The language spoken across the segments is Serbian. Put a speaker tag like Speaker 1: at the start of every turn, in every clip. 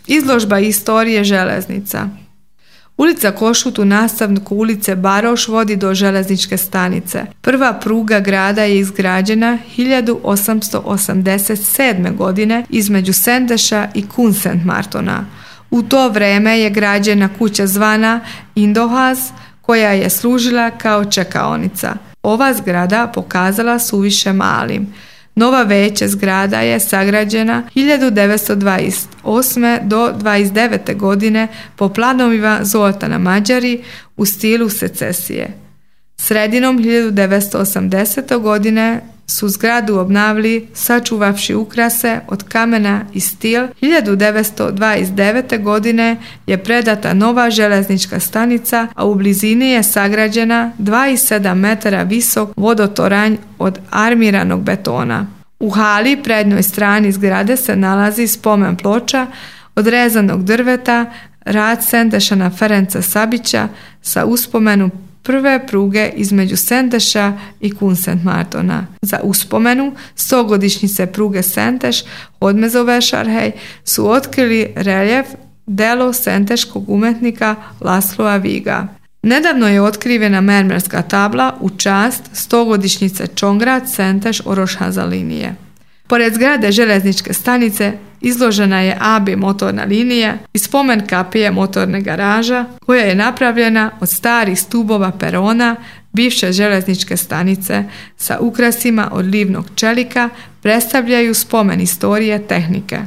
Speaker 1: Izložba istorije železnica. Ulica Košut u nastavku ulice Baroš vodi do željezničke stanice. Prva pruga grada je izgrađena 1887. godine između Sendeša i Kunsentmartona. U to vrijeme je građena kuća zvana Indohaz, koja je služila kao čekaonica. Ova zgrada pokazala suviše malim. Nova veća zgrada je sagrađena 1928. do 1929. godine po planovima Zoltana Mađari u stilu secesije. Sredinom 1980. godine su zgradu obnavili sačuvavši ukrase od kamena i stil. 1929. godine je predata nova željeznička stanica, a u blizini je sagrađena 2,7 metara visok vodotoranj od armiranog betona. U hali prednjoj strani zgrade se nalazi spomen ploča od rezanog drveta, rad Sendešana Ferenca Sabića sa uspomenu prve pruge između Sendeša i Kunsentmartona. Za uspomenu 100-godišnjice pruge Senteš Hodmezovešarhej su otkrili reljef delo senteškog umetnika Lasloa Viga. Nedavno je otkrivena mermerska tabla u čast 100-godišnjice Čongrad Senteš Orošhaza linije. Pored zgrade željezničke stanice izložena je AB motorna linija i spomen kapije motorne garaža koja je napravljena od starih stubova perona bivše željezničke stanice sa ukrasima od livnog čelika predstavljaju spomen istorije tehnike.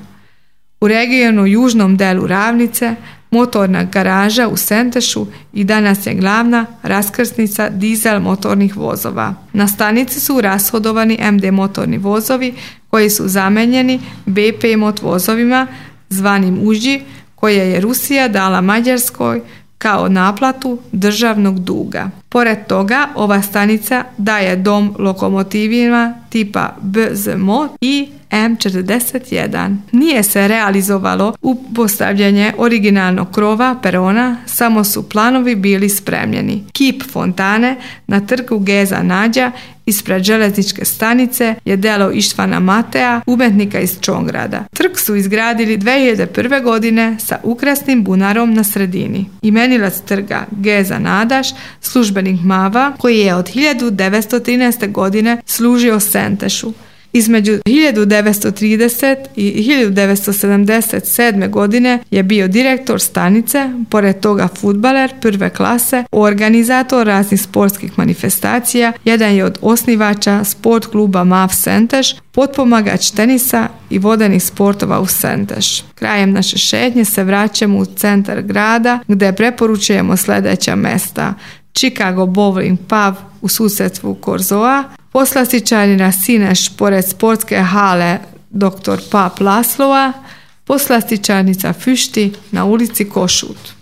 Speaker 1: U regionu južnom delu Ravnice motorna garaža u Sentešu i danas je glavna raskrsnica dizel motornih vozova. Na stanici su rashodovani MD motorni vozovi koji su zamenjeni BP mot vozovima zvanim Uži koje je Rusija dala Mađarskoj kao naplatu državnog duga. Pored toga, ova stanica daje dom lokomotivima tipa BZMOT i M41. Nije se realizovalo postavljanje originalnog krova perona, samo su planovi bili spremljeni. Kip fontane na trgu Geza Nađa ispred željezničke stanice je delo Ištvana Matea, umetnika iz Čongrada. Trg su izgradili 2001. godine sa ukrasnim bunarom na sredini. Imenilac trga Geza Nadaš, službenik Mava, koji je od 1913. godine služio Sentešu. Između 1930 i 1977. godine je bio direktor stanice, pored toga fudbaler prve klase, organizator raznih sportskih manifestacija, jedan je od osnivača sport kluba MAV Senteš, potpomagač tenisa i vodenih sportova u Senteš. Krajem naše šetnje se vraćamo u centar grada gdje preporučujemo sljedeća mesta: Chicago Bowling Pub u susjedstvu Korzoa, poslastičarina Sineš pored sportske hale Dr. Pap Laslova, poslastičarnica Füšti na ulici Košut.